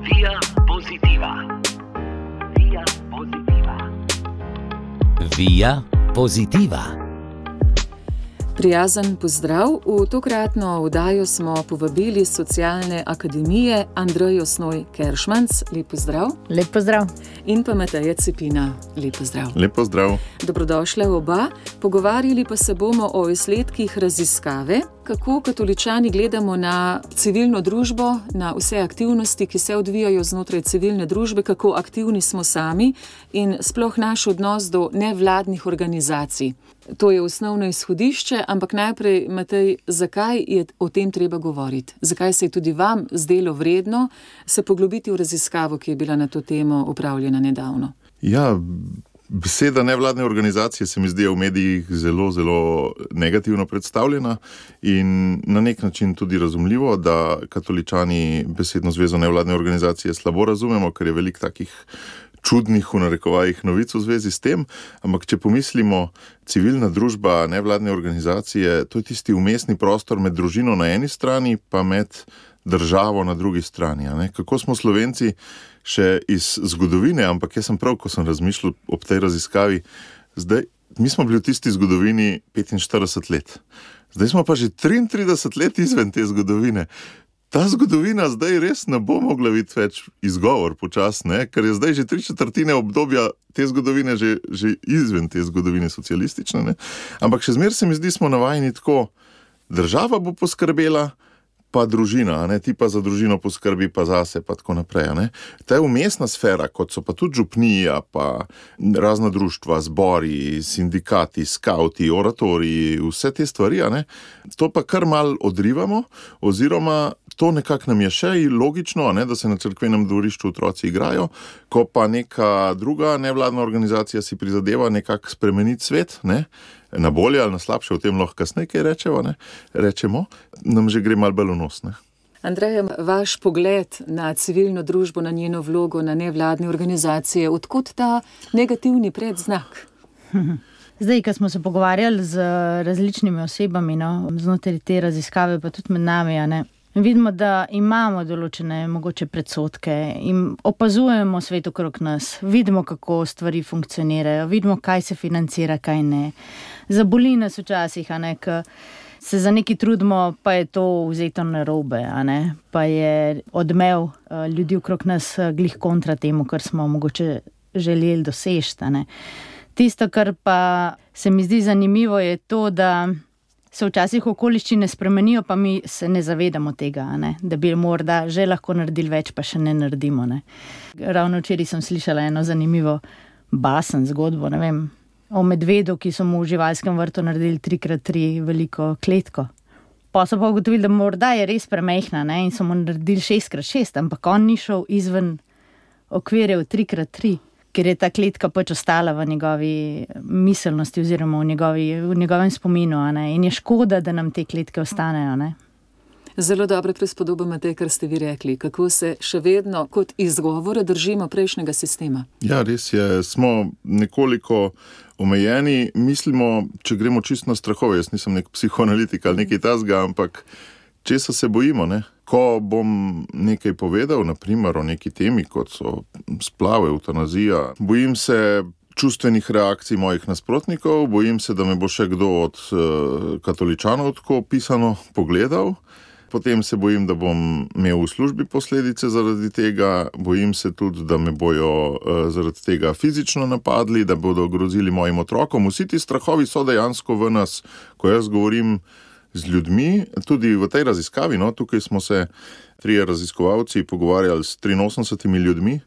Via Positiva. Via Positiva. Via Positiva. Prijazen pozdrav. V tokratno oddajo smo povabili s Socialne akademije Andrejo Snoj-Keršmanc. Lep pozdrav. Lep pozdrav. In pa Mateja Cepina. Lep pozdrav. Lep pozdrav. Dobrodošla oba. Pogovarjali pa se bomo o izsledkih raziskave, kako katoličani gledamo na civilno družbo, na vse aktivnosti, ki se odvijajo znotraj civilne družbe, kako aktivni smo sami in sploh naš odnos do nevladnih organizacij. To je osnovno izhodišče, ampak najprej, Matej, zakaj je o tem treba govoriti? Zakaj se je tudi vam zdelo vredno se poglobiti v raziskavo, ki je bila na to temo opravljena nedavno? Ja, beseda nevladne organizacije se mi zdi v medijih zelo, zelo negativno predstavljena in na nek način tudi razumljivo, da katoličani besedno zvezo nevladne organizacije slabo razumemo, ker je veliko takih čudnih v narekovajih novic v zvezi s tem, ampak če pomislimo, civilna družba, nevladne organizacije, to je tisti vmesni prostor med družino na eni strani, pa med državo na drugi strani. Kako smo Slovenci še iz zgodovine, ampak jaz sem prav, ko sem razmišljal ob tej raziskavi, mi smo bili v tisti zgodovini 45 let. Zdaj smo pa že 33 let izven te zgodovine. Ta zgodovina zdaj res ne bo mogla biti več izgovor počasne, ker je zdaj že 3/4 obdobja te zgodovine že izven te zgodovine socialistične. Ne? Ampak še zmeraj se mi zdi, smo navajeni tako, država bo poskrbela, pa družina, ti pa za družino poskrbi, pa zase, pa tako naprej. Ta je umestna sfera, kot so pa tudi župnija, pa razna društva, zbori, sindikati, skauti, oratoriji, vse te stvari, to pa kar mal odrivamo, oziroma to nekako nam je še logično, da se na cerkvenem dvorišču otroci igrajo, ko pa neka druga nevladna organizacija si prizadeva nekako spremeniti svet, na bolje ali na slabše, o tem lahko kasneje kaj rečemo, nam že gre malo bolj v nos. Andreja, vaš pogled na civilno družbo, na njeno vlogo, na nevladne organizacije, odkot ta negativni predznak? Zdaj, ko smo se pogovarjali z različnimi osebami, znotraj te raziskave, pa tudi med nami, vidimo, da imamo določene mogoče predsodke in opazujemo svet okrog nas, vidimo, kako stvari funkcionirajo, vidimo, kaj se financira, kaj ne. Zaboli nas včasih, ko se za nekaj trudimo, pa je to vzeto narobe, pa je odmev ljudi okrog nas glih kontra temu, kar smo mogoče želeli doseči. Tisto, kar pa se mi zdi zanimivo, je to, da se včasih okoliščine spremenijo, pa mi se ne zavedamo tega, da bi morda že lahko naredili več, pa še ne naredimo. Ravno včeraj sem slišala eno zanimivo basen zgodbo, o medvedu, ki so mu v živalskem vrtu naredili 3x3 veliko kletko. Pa so pa ugotovili, da morda je res premehna, in so mu naredili 6x6, ampak on ni šel izven okvirjev 3x3. Ker je ta kletka pač ostala v njegovi miselnosti oziroma v njegovem spominu. In je škoda, da nam te kletke ostanejo. Zelo dobra prispodoba, Matej, kar ste vi rekli. Kako se še vedno kot izgovore držimo prejšnjega sistema? Ja, res je. Smo nekoliko omejeni. Mislimo, če gremo čisto na strahove, jaz nisem nek psihoanalitik ali nekaj tasga, ampak česa se bojimo, Ko bom nekaj povedal, naprimer o neki temi, kot so splave, evtanazija, bojim se čustvenih reakcij mojih nasprotnikov, bojim se, da me bo še kdo od katoličanov tako pisano pogledal, potem se bojim, da bom imel v službi posledice zaradi tega, bojim se tudi, da me bojo zaradi tega fizično napadli, da bodo grozili mojim otrokom. Vsi ti strahovi so dejansko v nas, ko jaz govorim z ljudmi, tudi v tej raziskavi, tukaj smo se 3 raziskovalci pogovarjali s 83 ljudmi,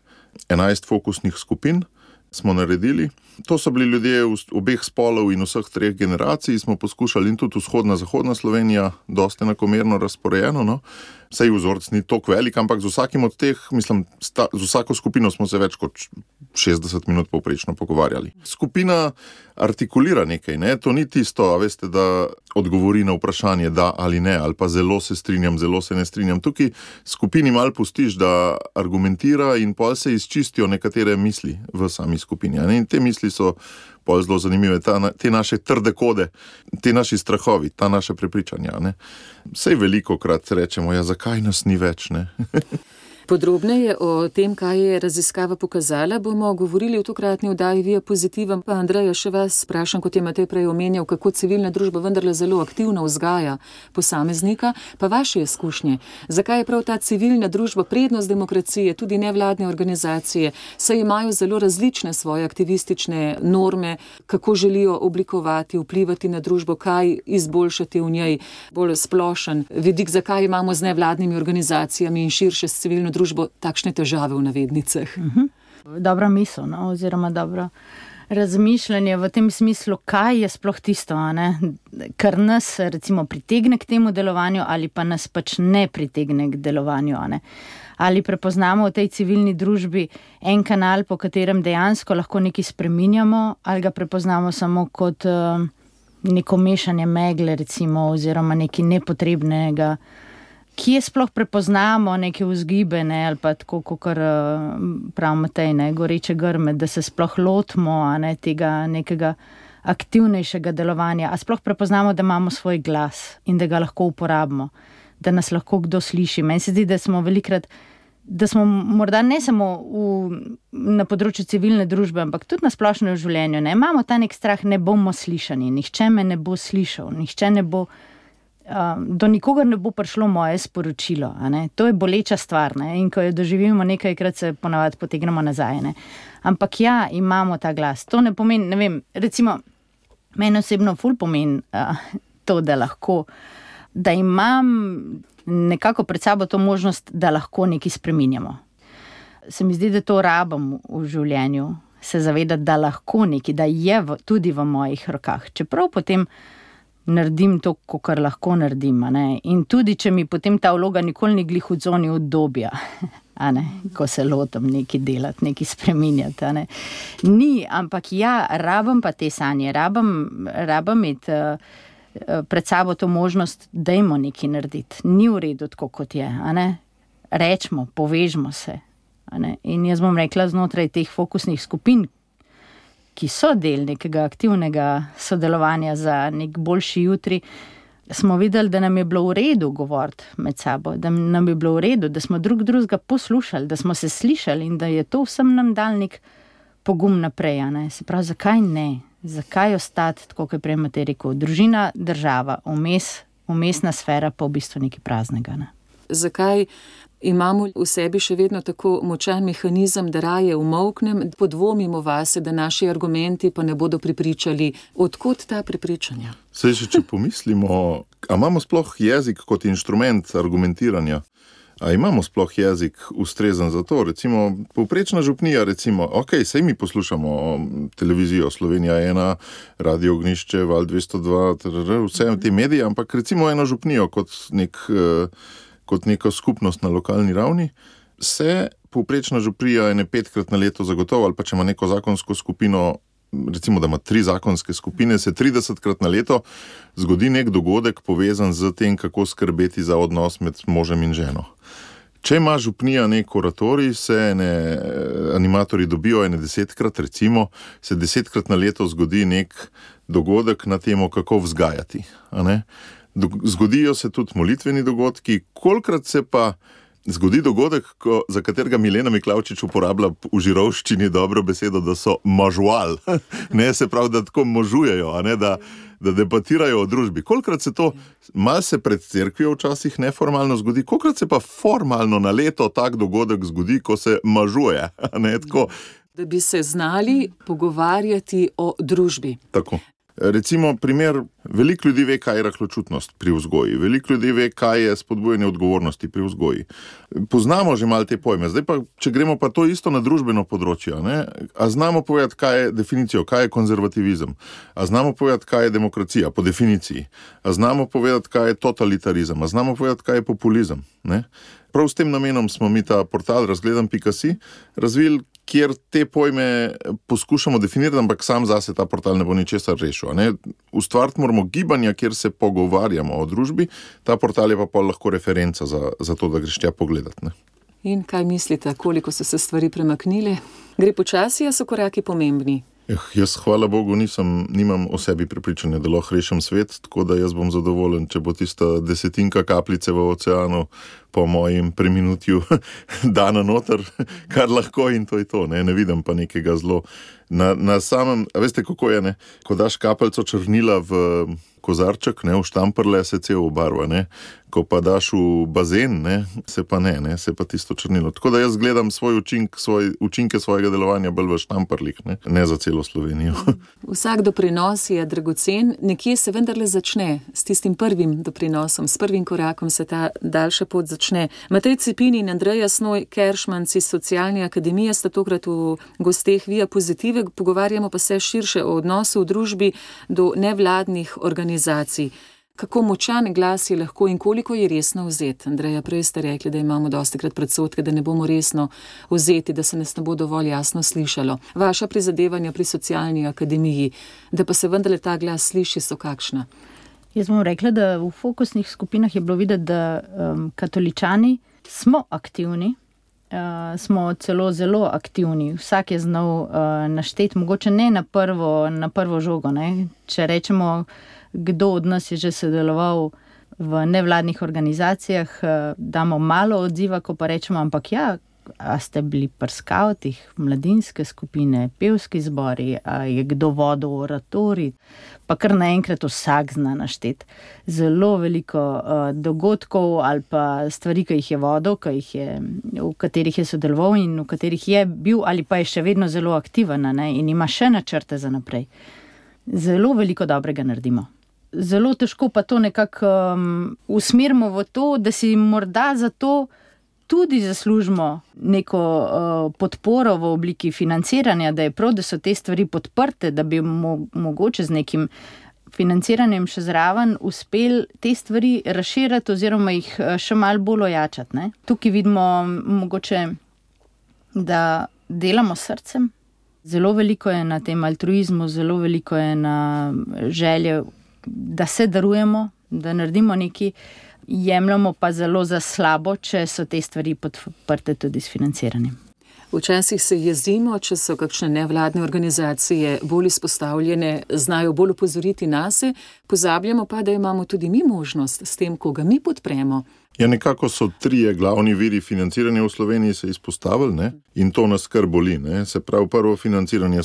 11 fokusnih skupin smo naredili. To so bili ljudje obeh spolov in vseh 3 generacij, smo poskušali in tudi vzhodna, zahodna Slovenija, dosti enakomerno razporejeno, Saj vzorec ni toliko velik, ampak z vsakim od teh, z vsako skupino smo se več kot 60 minut povprečno pogovarjali. Skupina artikulira nekaj, to ni tisto, veste, da odgovori na vprašanje da ali ne, ali pa zelo se strinjam, zelo se ne strinjam. Tukaj skupini malo pustiš, da argumentira in pol se izčistijo nekatere misli v sami skupini. In te misli so pol zelo zanimive, te naše trde kode, te naši strahovi, ta naša prepričanja. Sej veliko krat rečemo, zakaj nas ni več, Podrobneje o tem, kaj je raziskava pokazala, bomo govorili v tokratni oddaji Via Positiva. Pa Andreja, še vas sprašam, kot je Matej prej omenjal, kako civilna družba vendarle zelo aktivno vzgaja posameznika, pa vaše izkušnje. Zakaj je prav ta civilna družba prednost demokracije, tudi nevladne organizacije, saj imajo zelo različne svoje aktivistične norme, kako želijo oblikovati, vplivati na družbo, kaj izboljšati v njej, bolj splošen vidik, zakaj imamo z nevladnimi organizacijami in širše s civilno družbo takšne težave v navednicah. Dobra misel, no? Oziroma dobro razmišljanje v tem smislu, kaj je sploh tisto, kar nas recimo pritegne k temu delovanju ali pa nas pač ne pritegne k delovanju. Ali prepoznamo v tej civilni družbi en kanal, po katerem dejansko lahko nekaj spreminjamo, ali ga prepoznamo samo kot neko mešanje megle recimo, oziroma nekaj nepotrebnega. Kje sploh prepoznamo neke vzgibe, ali pa tako, kot prav Matej, goreče grme, da se sploh lotimo tega nekega aktivnejšega delovanja, a sploh prepoznamo, da imamo svoj glas in da ga lahko uporabimo, da nas lahko kdo sliši. Meni se zdi, da smo velikrat, da smo morda ne samo na področju civilne družbe, ampak tudi na splošno v življenju. Imamo ta nek strah, ne bomo slišani, nihče me ne bo slišal, nihče ne bo... do nikogar ne bo prišlo moje sporočilo. To je boleča stvar, in ko jo doživimo nekajkrat, se ponavadi potegnemo nazaj. Ampak ja, imamo ta glas. To ne pomeni, ne vem, recimo, meni osebno ful pomeni to, da lahko, da imam nekako pred sabo to možnost, da lahko nekaj spreminjamo. Se mi zdi, da to rabim v življenju, se zavedati, da lahko nekaj, da je tudi v mojih rokah. Čeprav potem naredim to, kar lahko naredim. In tudi, če mi potem ta vloga nikoli ni glih v coni udobja, ko se lotam nekaj delati, nekaj spreminjati. Ni, ampak ja, rabim pa te sanje, rabim imeti pred sabo to možnost, dajmo nekaj narediti. Ni v redu tako, kot je. Rečmo, povežmo se. In jaz bom rekla, znotraj teh fokusnih skupin, ki so del nekega aktivnega sodelovanja za nek boljši jutri, smo videli, da nam je bilo v redu govoriti med sabo, da nam je bilo v redu, da smo drug drugega poslušali, da smo se slišali in da je to vsem nam dal nek pogum naprej. Se pravi, zakaj ne? Zakaj ostati, tako kot je prej Matej rekel, družina, država, vmesna sfera pa v bistvu nekaj praznega. Zakaj imamo v sebi še vedno tako močan mehanizem, da raje umolknem, podvomimo vase, da naši argumenti pa ne bodo prepričali. Odkot ta prepričanja? Saj še če pomislimo, a imamo sploh jezik kot inštrument argumentiranja? A imamo sploh jezik ustrezen za to? Recimo, povprečna župnija, saj mi poslušamo televizijo Slovenija 1, Radio Ognjišče, Val 202, vse te medije, ampak recimo eno župnijo kot neko skupnost na lokalni ravni, se povprečna župnija 5-krat na leto zagotovo, ali pa če ima neko zakonsko skupino, recimo, da ima 3 zakonske skupine, se 30-krat na leto zgodi nek dogodek povezan z tem, kako skrbeti za odnos med možem in ženo. Če ima župnija nek oratorij, se animatorji dobijo 10-krat, recimo, se 10-krat na leto zgodi nek dogodek na temo, kako vzgajati. Zgodijo se tudi molitveni dogodki, kolikrat se pa zgodi dogodek, za katerega Milena Miklavčič uporablja v žirovščini dobro besedo, da so mažual. Se pravi, da tako možujejo, da debatirajo o družbi. Kolikrat se to malce pred cerkvijo včasih neformalno zgodi, kolikrat se pa formalno na leto tak dogodek zgodi, ko se mažuje. Da bi se znali pogovarjati o družbi. Tako. Recimo primer, veliko ljudi ve, kaj je rahločutnost pri vzgoji, veliko ljudi ve, kaj je spodbujanje odgovornosti pri vzgoji. Poznamo že malo te pojme, zdaj pa, če gremo pa to isto na družbeno področje, a znamo povedati, kaj je definicijo, kaj je konzervativizem, a znamo povedati, kaj je demokracija po definiciji, a znamo povedati, kaj je totalitarizem, a znamo povedati, kaj je populizem. Prav s tem namenom smo mi ta portal razgledam.si razvili, kjer te pojme poskušamo definirati, ampak sam zase ta portal ne bo ničesar rešil. Ustvariti moramo gibanja, kjer se pogovarjamo o družbi, ta portal je pa lahko referenca za to, da greš tja pogledati. In kaj mislite, koliko so se stvari premaknile? Gre počasi, a so koraki pomembni? Jaz, hvala Bogu, nimam o sebi prepričanja, da lahko rešim svet, tako da jaz bom zadovoljen, če bo tista 10 kapljice v oceanu po mojem preminutju dana noter, kar lahko in to je to. Ne vidim pa nekega zelo. Na samem, a veste, kako je, ne? Ko daš kapelco črnila v kozarček, ne, v štamprle, se cel obarva, ne. Ko pa daš v bazen, ne, se pa ne, se pa tisto črnilo. Tako da jaz gledam učinke svojega delovanja bolj v štamprlih, ne za celo Slovenijo. Vsak doprinos je dragocen, nekje se vendarle začne s tistim prvim doprinosom, s prvim korakom se ta daljša pot začne. Matej Cepin in Andreja Snoj-Keršmanc iz Socialne akademije sta tokrat v gosteh Via Pozitive, pogovarjamo pa se širše o odnosu v družbi do nevladnih organizacij. Kako močan glas je lahko in koliko je resno vzeti? Andreja, prej ste rekli, da imamo dostikrat predsodke, da ne bomo resno vzeti, da se nas ne bo dovolj jasno slišalo. Vaša prizadevanja pri Socialni akademiji, da pa se vendarle ta glas sliši, so kakšna? Jaz bom rekla, da v fokusnih skupinah je bilo videti, da katoličani smo aktivni, smo celo zelo aktivni. Vsak je znal našteti, mogoče ne na prvo žogo. Ne? Če rečemo, kdo od nas je že sodeloval v nevladnih organizacijah, damo malo odziva, ko pa rečemo, ampak ja, a ste bili pri skavtih, mladinske skupine, pevski zbori, a je kdo vodil oratorij, pa kar naenkrat vsak zna našteti. Zelo veliko dogodkov ali pa stvari, ki jih je vodil, v katerih je sodeloval in v katerih je bil ali pa je še vedno zelo aktiven, ne, in ima še načrte za naprej. Zelo veliko dobrega naredimo. Zelo težko pa to nekako usmerimo v to, da si morda za to tudi zaslužimo neko podporo v obliki financiranja, da je prav, da so te stvari podprte, da bi mogoče z nekim financiranjem še zraven uspeli te stvari razširiti oziroma jih še malo bolj ojačati. Ne? Tukaj vidimo mogoče, da delamo srcem. Zelo veliko je na tem altruizmu, zelo veliko je na želje, da se darujemo, da naredimo nekaj, jemljamo pa zelo za slabo, če so te stvari podprte tudi s financiranjem. Včasih se jezimo, če so kakšne nevladne organizacije bolj izpostavljene, znajo bolj opozoriti nase, pozabljamo pa, da imamo tudi mi možnost s tem, koga mi podpremo. Ja, nekako so 3 glavni viri financiranja v Sloveniji se izpostavili, ne? In to nas kar boli. Ne? Se pravi, prvo financiranje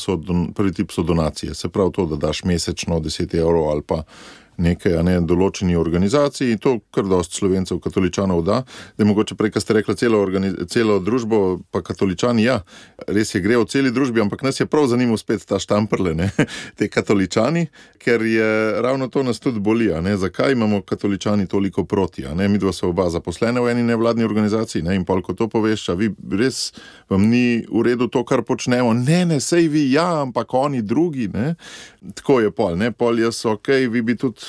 prvi tip so donacije. Se pravi to, da daš mesečno 10 evrov ali pa nekaj, določeni organizaciji, in to kar dosti Slovencev, katoličanov da je mogoče prej, ko ste rekla, celo družbo, pa katoličani, ja, res je, gre v celi družbi, ampak nas je prav zanimivo spet ta štamprle, ne, te katoličani, ker je ravno to nas tudi boli, zakaj imamo katoličani toliko proti, midva so oba zaposlene v eni nevladni organizaciji, in pol, ko to poveš, a vi res vam ni v redu to, kar počnemo, ne, sej vi, ja, ampak oni drugi, ne, tako je pol jaz, okej, vi bi tudi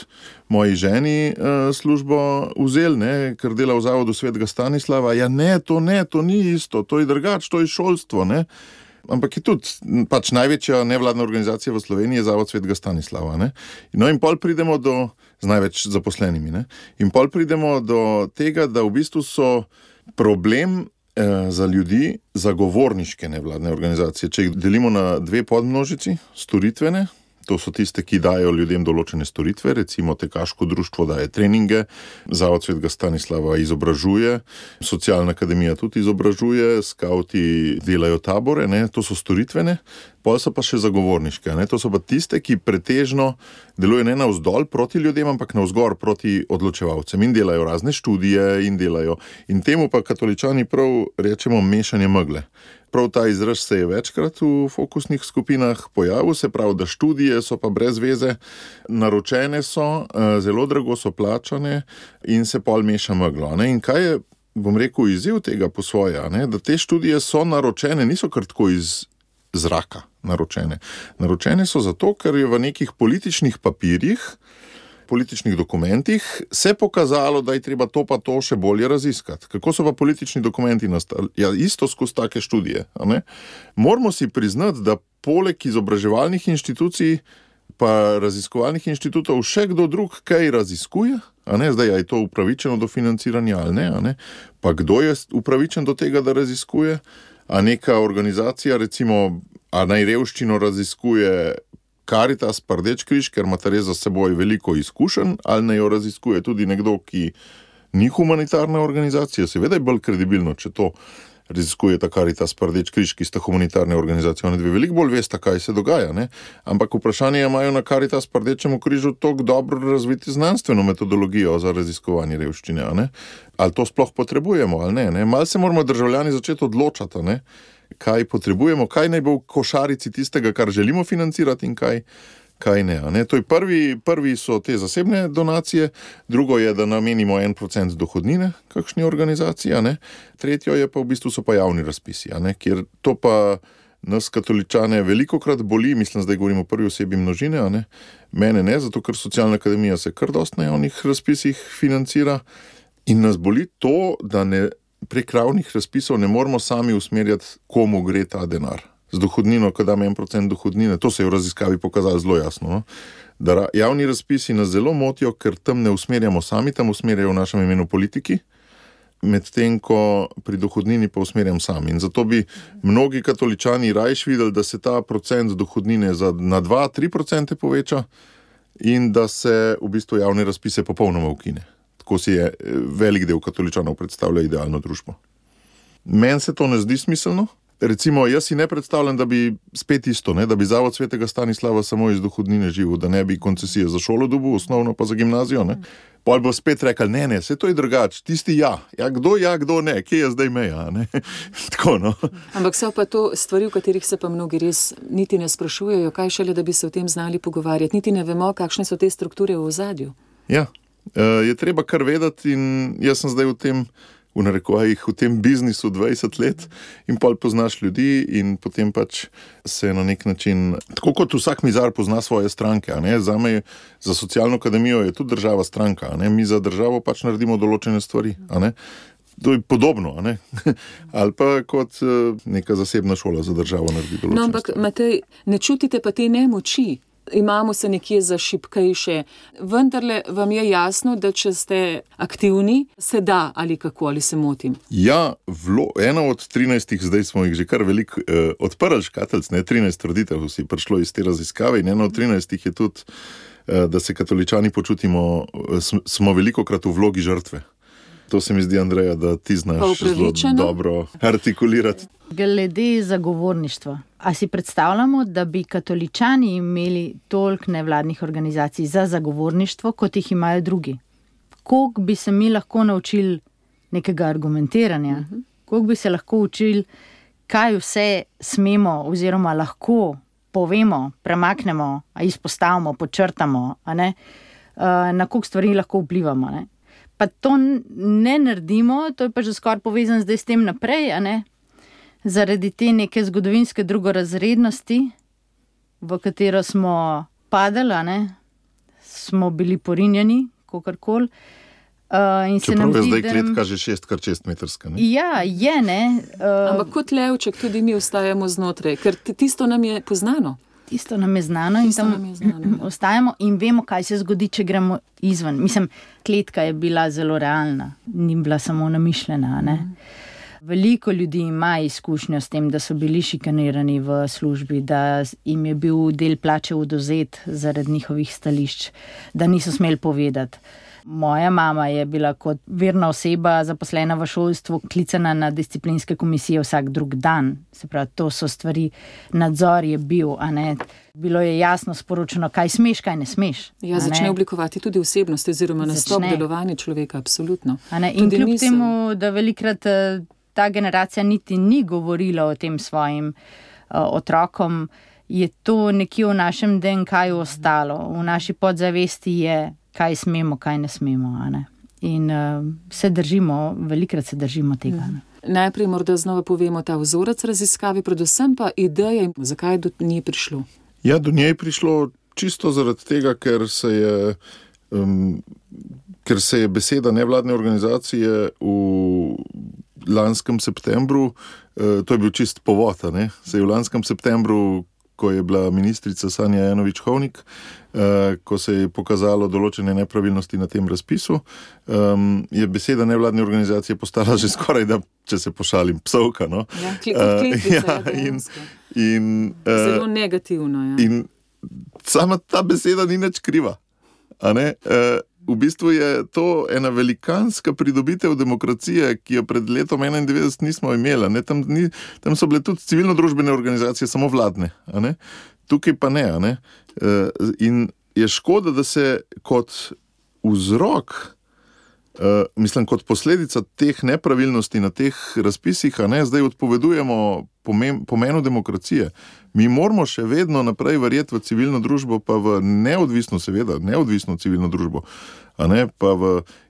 moji ženi službo vzeli, ne, ker dela v zavodu Svetega Stanislava. Ja, to ni isto, to je drugače, to je šolstvo, ne. Ampak je tudi pač največja nevladna organizacija v Sloveniji je zavod Svetega Stanislava, ne. No, in pol pridemo z največ zaposlenimi, ne. In pol pridemo do tega, da v bistvu so problem za ljudi zagovorniške nevladne organizacije. Če jih delimo na 2 podmnožici, storitvene, to so tiste, ki dajo ljudem določene storitve, recimo tekaško društvo daje treninge, zavod Svetega Stanislava izobražuje, Socialna akademija tudi izobražuje, skavti delajo tabore, ne, to so storitvene, pol so pa še zagovorniške, ne, to so pa tiste, ki pretežno delujejo ne navzdol proti ljudem, ampak navzgor proti odločevalcem in delajo razne študije in temu pa katoličani prav rečemo mešanje megle. Prav ta izraz se je večkrat v fokusnih skupinah pojavil, se pravi, da študije so pa brez veze, naročene so, zelo drago so plačane in se pol meša meglo. In kaj je, bom rekel, izziv tega po svoje, da te študije so naročene, niso kar tako iz zraka naročene. Naročene so zato, ker je v nekih političnih papirjih, političnih dokumentih se pokazalo, da je treba to pa to še bolje raziskati. Kako so pa politični dokumenti nastali? Ja, isto skozi take študije. Moramo si priznati, da poleg izobraževalnih inštitucij pa raziskovalnih inštitutov še kdo drug kaj raziskuje, zdaj je to upravičeno do financiranja ali ne, pa kdo je upravičen do tega, da raziskuje, a neka organizacija, recimo A naj revščino raziskuje Karitas, pa Rdeči križ, ker ima res za seboj veliko izkušenj, ali naj jo raziskuje tudi nekdo, ki ni humanitarna organizacija. Seveda je bolj kredibilno, če to raziskuje ta Karitas, pa Rdeči križ, ki sta humanitarne organizacije. Oni dve veliko bolj veste, kaj se dogaja. Ne? Ampak vprašanje je, imajo na Karitas, pa Rdečemu križu toliko dobro razviti znanstveno metodologijo za raziskovanje revščine. A ne? Ali to sploh potrebujemo, ali ne? Malo se moramo državljani začeti odločati, ne? Kaj potrebujemo, kaj naj bo v košarici tistega, kar želimo financirati in kaj ne. A ne? To je prvi so te zasebne donacije, drugo je, da namenimo 1% dohodnine kakšni organizaciji, a ne? Tretjo je pa v bistvu so pa javni razpisi, a ne? Kjer to pa nas katoličane velikokrat boli, mislim, zdaj govorimo o prvi osebi množine, a ne? Mene ne, zato ker Socialna akademija se kar dost na javnih razpisih financira in nas boli to, da prek javnih razpisov ne moramo sami usmerjati, komu gre ta denar. Z dohodnino, ko dam 1% dohodnine, to se je v raziskavi pokazalo zelo jasno, no? Da javni razpisi nas zelo motijo, ker tam ne usmerjamo sami, tam usmerjajo v našem imenu politiki, medtem ko pri dohodnini pa usmerjam sami. In zato bi mnogi katoličani rajš videli, da se ta procent dohodnine na 2-3% poveča in da se v bistvu javne razpise popolnoma ukine. Tako si je velik del katoličanov predstavlja idealno družbo. Meni se to ne zdi smiselno. Recimo, jaz si ne predstavljam, da bi spet isto, ne, da bi Zavod svetega Stanislava samo iz dohodnine živel, da ne bi koncesije za šolo dobil, osnovno pa za gimnazijo. Ne. Pol bo spet rekel, ne, vse to je drugače, tisti ja, kdo ne, kje je zdaj meja, ne. Tako, no. Ampak so pa to stvari, v katerih se pa mnogi res niti ne sprašujejo, kaj šele, da bi se o tem znali pogovarjati, niti ne vemo, kakšne so te strukture v ozadju. Ja, je treba kar vedeti in jaz sem zdaj v narekovajih v tem biznisu 20 let in pol poznaš ljudi in potem pač se na nek način, tako kot vsak mizar pozna svoje stranke, a ne, zame, za Socialno akademijo je tudi država stranka, a ne, mi za državo pač naredimo določene stvari, a ne. To je podobno, a ne? Ali pa kot neka zasebna šola za državo naredi določene stvari. No, ampak Matej, ne čutite pa te nemoči? Imamo se nekje za šibkejše. Vendarle vam je jasno, da če ste aktivni, se da ali kako, ali se motim? Ja, ena od 13, zdaj smo jih že kar veliko odprli škatelc, 13 trditev si prišlo iz te raziskave in ena od 13 je tudi, da se katoličani počutimo, smo velikokrat v vlogi žrtve. To se mi zdi, Andreja, da ti znaš zelo dobro artikulirati. Glede zagovorništva. A si predstavljamo, da bi katoličani imeli toliko nevladnih organizacij za zagovorništvo, kot jih imajo drugi? Koliko bi se mi lahko naučili nekega argumentiranja? Koliko bi se lahko učili, kaj vse smemo oziroma lahko povemo, premaknemo, izpostavimo, podčrtamo, a ne? Na koliko stvari lahko vplivamo, ne? Pa to ne naredimo, to je pa že skoraj povezan zdaj s tem naprej, a ne? Zaradi te neke zgodovinske drugorazrednosti, v katero smo padali, a ne? Smo bili porinjeni, kakorkoli. Čeprav je zdaj kletka že 6x6 metrska, ne? Ja, je, ne? Ampak kot levček tudi mi ostajamo znotraj, ker tisto nam je poznano. Tisto nam je znano in tam ostajamo in vemo, kaj se zgodi, če gremo izven. Mislim, kletka je bila zelo realna, ni bila samo namišljena, ne? Veliko ljudi ima izkušnjo s tem, da so bili šikanirani v službi, da jim je bil del plače odvzet zaradi njihovih stališč, da niso smeli povedati. Moja mama je bila kot verna oseba zaposlena v šolstvu klicana na disciplinske komisije vsak drug dan. Se pravi, to so stvari, nadzor je bil, a ne. Bilo je jasno sporočeno, kaj smeš, kaj ne smeš. Ja, začne oblikovati tudi osebnost oziroma nastop delovanja človeka, absolutno. In kljub temu, da velikrat ta generacija niti ni govorila o tem svojim otrokom, je to nekje v našem DNK-ju ostalo. V naši podzavesti je, kaj smemo, kaj ne smemo. A ne? In velikrat se držimo tega. Najprej morda znova povemo ta vzorec raziskave, predvsem pa ideja, zakaj do nje prišlo. Ja, do nje je prišlo čisto zaradi tega, ker se je beseda nevladne organizacije v lanskem septembru, to je bil čist povod, ne? Se je v lanskem septembru, ko je bila ministrica Sanja Ajanović-Hovnik, ko se je pokazalo določene nepravilnosti na tem razpisu, je beseda nevladne organizacije postala že skoraj, da, če se pošalim, psovka. No? Ja, Zelo negativno, ja. In sama ta beseda ni nič kriva. A ne? V bistvu je to ena velikanska pridobitev demokracije, ki jo pred letom 91 nismo imeli. Ne? Tam so bile tudi civilno-družbene organizacije, samo vladne. A ne? Tukaj pa ne. A ne? In je škoda, da se kot vzrok, kot posledica teh nepravilnosti na teh razpisih, zdaj odpovedujemo pomenu demokracije. Mi moramo še vedno naprej verjeti v civilno družbo, pa v neodvisno civilno družbo.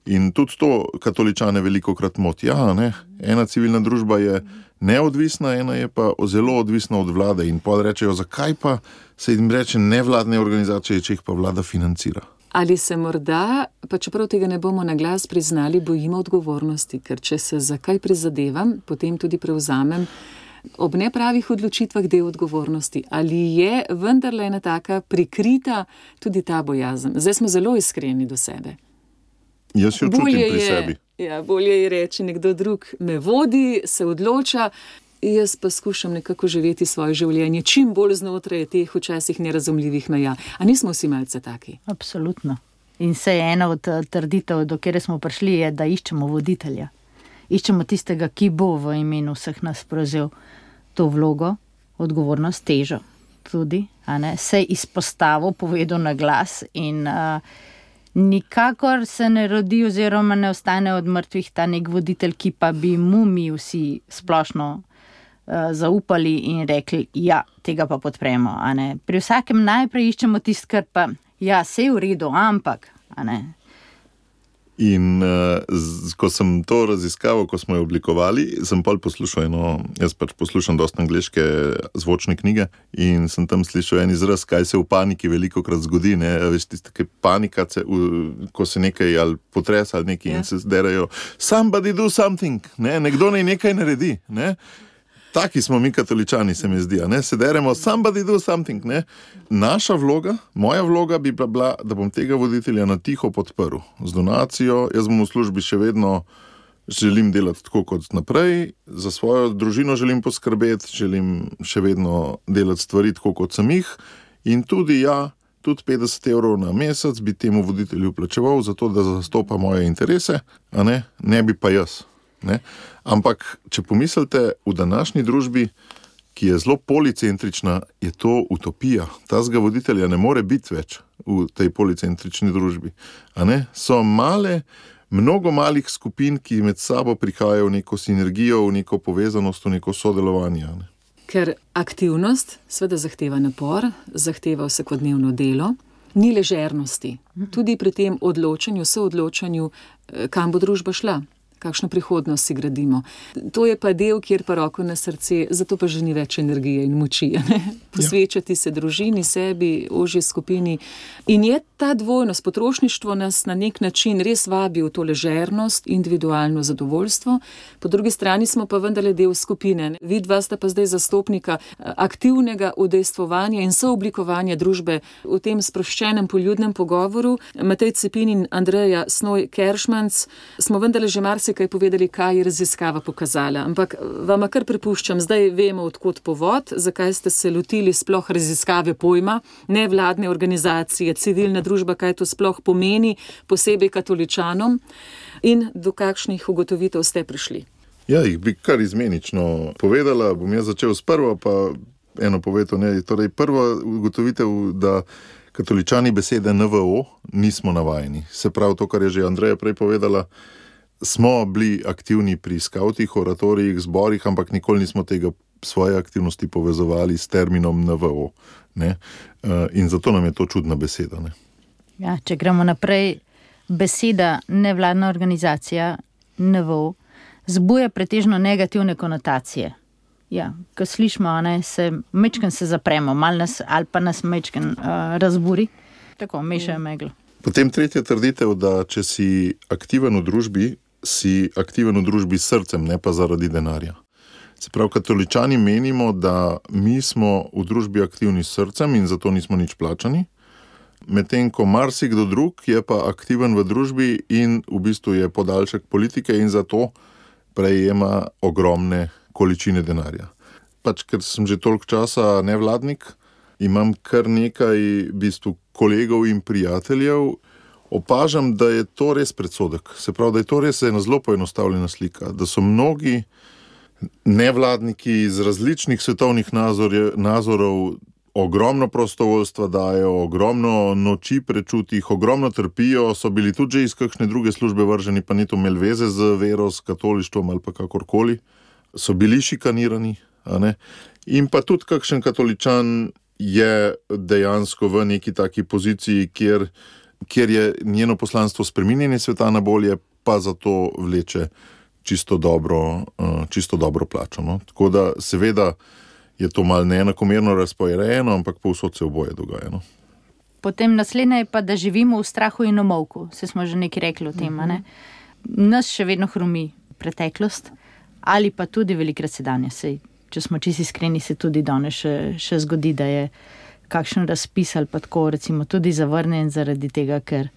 In tudi to katoličane velikokrat moti. Ena civilna družba je neodvisna, ena je pa zelo odvisna od vlade. In pa rečejo, zakaj pa se jim reče nevladne organizacije, če jih pa vlada financira. Ali se morda, pa čeprav tega ne bomo na glas priznali, bojimo odgovornosti, ker če se za kaj prizadevam, potem tudi prevzamem ob nepravih odločitvah del odgovornosti. Ali je vendarle ena taka prikrita tudi ta bojazen? Zdaj smo zelo iskreni do sebe. Jaz jo čutim pri sebi. Ja, bolje je reči, nekdo drug me vodi, se odloča, jaz pa skušam nekako živeti svoje življenje čim bolj znotraj teh včasih nerazumljivih meja. A nismo vsi malce taki? Absolutno. In se je ena od trditev, do kjer smo prišli, je, da iščemo voditelja. Iščemo tistega, ki bo v imenu vseh nas prevzel to vlogo, odgovornost, težo tudi, se izpostavil, povedal na glas in nikakor se ne rodi oziroma ne ostane od mrtvih ta nek voditelj, ki pa bi mu mi vsi splošno zaupali in rekli, ja, tega pa podpremo. Pri vsakem najprej iščemo tisto, kar pa, ja, se je v redu, ampak, In ko sem to raziskaval, ko smo jo oblikovali, sem pa poslušal jaz poslušam dosta angleške zvočne knjige in sem tam slišal en izraz, kaj se v paniki velikokrat zgodi, veš, tista panika, ko se nekaj ali potresa ali nekaj in se derajo, somebody do something, nekdo naj nekaj naredi, Taki smo mi katoličani, se mi zdi, se deremo, somebody do something, Naša vloga, moja vloga bi bila, da bom tega voditelja na tiho podprl. Z donacijo, jaz bom v službi še vedno želim delati tako kot naprej, za svojo družino želim poskrbeti, želim še vedno delati stvari tako kot sem jih in tudi 50 evrov na mesec bi temu voditelju plačeval, zato da zastopa moje interese, ne bi pa jaz. Ampak, če pomislite, v današnji družbi, ki je zelo policentrična, je to utopija. Tazga voditelja ne more biti več v tej policentrični družbi. So mnogo malih skupin, ki med sabo prihajajo v neko sinergijo, v neko povezanost, v neko sodelovanje. Ker aktivnost seveda zahteva napor, zahteva vsakodnevno delo, ni ležernosti. Tudi pri tem odločanju, soodločanju, kam bo družba šla. Kakšno prihodnost si gradimo. To je pa del, kjer pa roko na srce, zato pa že ni več energije in moči. Posvečati se družini, sebi, ožji skupini. In je ta dvojnost, potrošništvo nas na nek način res vabi v to ležernost, individualno zadovoljstvo. Po drugi strani smo pa vendarle del skupine. Vidva sta pa zdaj zastopnika aktivnega udejstvovanja in sooblikovanja družbe v tem sproščenem poljudnem pogovoru. Matej Cepin in Andreja Snoj-Keršmanc smo vendarle že kaj povedali, kaj je raziskava pokazala. Ampak vama kar prepuščam, zdaj vemo, odkot povod, zakaj ste se lotili sploh raziskave pojma, nevladne organizacije, civilna družba, kaj to sploh pomeni, posebej katoličanom in do kakšnih ugotovitev ste prišli. Ja, jih bi kar izmenično povedala, bom jaz začel s prvo, pa eno povedal, torej prva ugotovitev, da katoličani besede NVO nismo navajeni. Se pravi to, kar je že Andreja prej povedala, smo bili aktivni pri skavtih, oratorijih, zborih, ampak nikoli nismo tega svoje aktivnosti povezovali s terminom NVO. In zato nam je to čudna beseda. Ja, če gremo naprej, beseda nevladna organizacija NVO zbuja pretežno negativne konotacije. Ja, ko slišimo, se mečken se zapremo, ali pa nas mečken razburi, tako mešajo meglo. Potem tretja trditev, da če si aktiven v družbi, si aktiven v družbi s srcem, ne pa zaradi denarja. Se pravi, katoličani menimo, da mi smo v družbi aktivni s srcem in zato nismo nič plačani, medtem ko marsikdo drug je pa aktiven v družbi in v bistvu je podaljšek politike in zato prejema ogromne količine denarja. pač ker sem že toliko časa nevladnik, imam kar nekaj v bistvu kolegov in prijateljev, opažam, da je to res predsodek. Se pravi, da je to res ena zelo poenostavljena slika, da so mnogi nevladniki iz različnih svetovnih nazorov ogromno prostovoljstva dajo, ogromno noči prečutih, ogromno trpijo, so bili tudi že iz kakšne druge službe vrženi, pa ni to imel veze z vero, s katolištvom ali pa kakorkoli. So bili šikanirani, a ne? In pa tudi kakšen katoličan je dejansko v neki taki poziciji, kjer je njeno poslanstvo spreminjanje sveta na bolje, pa zato vleče čisto dobro plačo. No? Tako da seveda je to malo neenakomerno razporejeno, ampak povsod se oboje dogaja. No? Potem naslednje je pa, da živimo v strahu in omolku. Se smo že nekaj rekli o tem, ne? Nas še vedno hromi preteklost ali pa tudi velikrat sedanje. Sej, če smo čisto iskreni, se tudi danes še zgodi, da je kakšen razpis ali pa tako recimo tudi zavrnjen zaradi tega, ker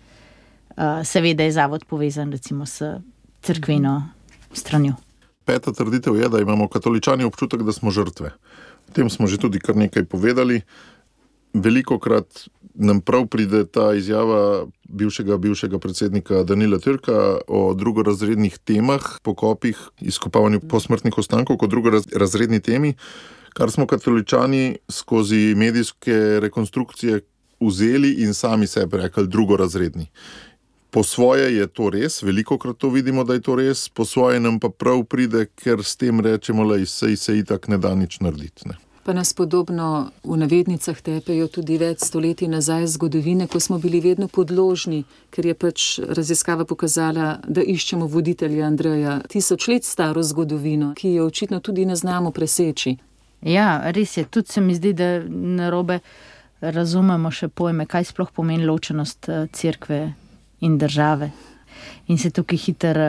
seveda je zavod povezan recimo s cerkveno stranjo. Peta trditev je, da imamo katoličani občutek, da smo žrtve. O tem smo že tudi kar nekaj povedali. Velikokrat nam prav pride ta izjava bivšega predsednika Danila Türka o drugorazrednih temah, pokopih, izkopavanju posmrtnih ostankov kot drugorazredni temi, kar smo katoličani skozi medijske rekonstrukcije vzeli in sami sebi rekli drugorazredni. Po svoje je to res, velikokrat to vidimo, da je to res, po svoje nam pa prav pride, ker s tem rečemo, da se itak ne da nič narediti. Ne. Pa nas podobno v navednicah tepejo tudi več stoletij nazaj zgodovine, ko smo bili vedno podložni, ker je pač raziskava pokazala, da iščemo voditelja Andreja 1000 let staro zgodovino, ki jo očitno tudi ne znamo preseči. Ja, res je. Tudi se mi zdi, da narobe razumemo še pojme, kaj sploh pomeni ločenost cerkve in države. In se tukaj hitro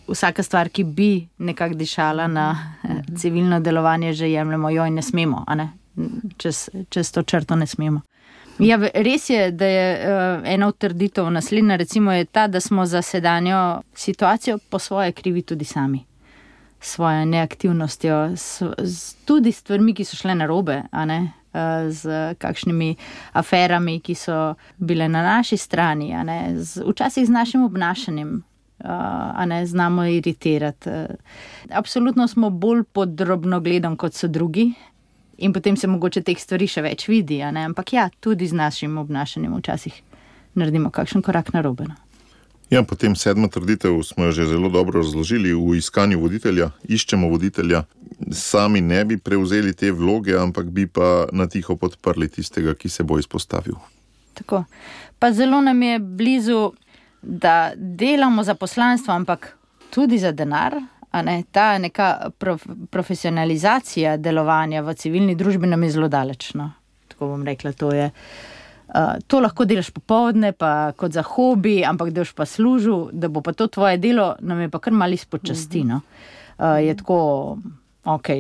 vsaka stvar, ki bi nekako dišala na civilno delovanje, že jemljemo jo in ne smemo, a ne? Čez to črto ne smemo. Ja, res je, da je ena od trditev naslednja, recimo je ta, da smo za sedanjo situacijo po svoje krivi tudi sami. Svojo neaktivnostjo, tudi stvarmi, ki so šle narobe, a ne? Z kakšnimi aferami, ki so bile na naši strani, a ne? Včasih z našim obnašanjem, a ne? Znamo iritirati. Absolutno smo bolj pod drobnogledom, kot so drugi, in potem se mogoče teh stvari še več vidi, a ne? Ampak ja, tudi z našim obnašanjem včasih naredimo kakšen korak narobe. No? Ja, potem 7. trditev smo jo že zelo dobro razložili. V iskanju voditelja, iščemo voditelja, sami ne bi prevzeli te vloge, ampak bi pa na tiho podprli tistega, ki se bo izpostavil. Tako. Pa zelo nam je blizu, da delamo za poslanstvo, ampak tudi za denar, a ne? Ta neka profesionalizacija delovanja v civilni družbi nam je zelo daleč. No? Tako bom rekla, to lahko delaš popoldne, pa kot za hobi, ampak da boš pa služil, da bo pa to tvoje delo, nam je pa kar malo izpod časti. No? Je tako,